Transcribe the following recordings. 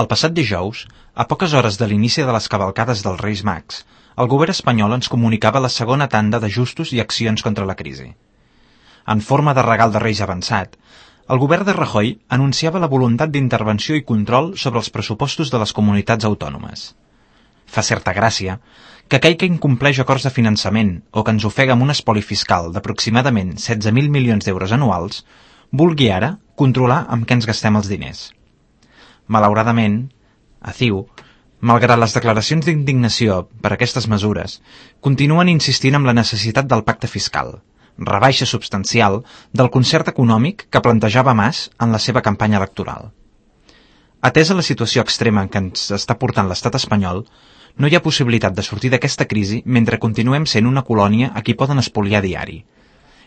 El passat dijous, a poques hores de l'inici de les cavalcades dels Reis Mags, el govern espanyol ens comunicava la segona tanda d'ajustos i accions contra la crisi. En forma de regal de Reis avançat, el govern de Rajoy anunciava la voluntat d'intervenció i control sobre els pressupostos de les comunitats autònomes. Fa certa gràcia que aquell que incompleix acords de finançament o que ens ofega amb un espoli fiscal d'aproximadament 16.000 milions d'euros anuals vulgui ara controlar amb què ens gastem els diners. Malauradament, a CiU, malgrat les declaracions d'indignació per aquestes mesures, continuen insistint en la necessitat del pacte fiscal, rebaixa substancial del concert econòmic que plantejava Mas en la seva campanya electoral. Atesa la situació extrema en què ens està portant l'estat espanyol, no hi ha possibilitat de sortir d'aquesta crisi mentre continuem sent una colònia a qui poden espoliar diari.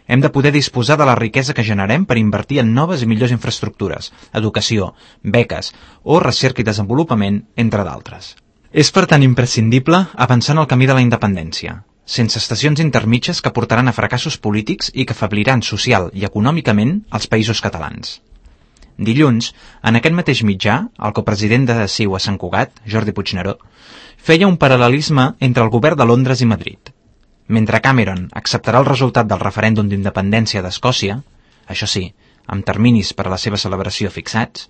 Hem de poder disposar de la riquesa que generem per invertir en noves i millors infraestructures, educació, beques o recerca i desenvolupament, entre d'altres. És per tant imprescindible avançar en el camí de la independència, sense estacions intermitges que portaran a fracassos polítics i que afebliran social i econòmicament els països catalans. Dilluns, en aquest mateix mitjà, el copresident de CiU a Sant Cugat, Jordi Puigneró, feia un paral·lelisme entre el govern de Londres i Madrid. Mentre Cameron acceptarà el resultat del referèndum d'independència d'Escòcia, això sí, amb terminis per a la seva celebració fixats,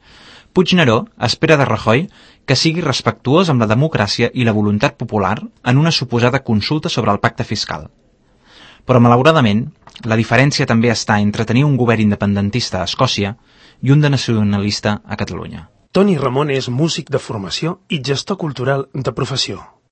Puigneró espera de Rajoy que sigui respectuós amb la democràcia i la voluntat popular en una suposada consulta sobre el pacte fiscal. Però, malauradament, la diferència també està entre tenir un govern independentista a Escòcia i un de nacionalista a Catalunya. Toni Ramon és músic de formació i gestor cultural de professió.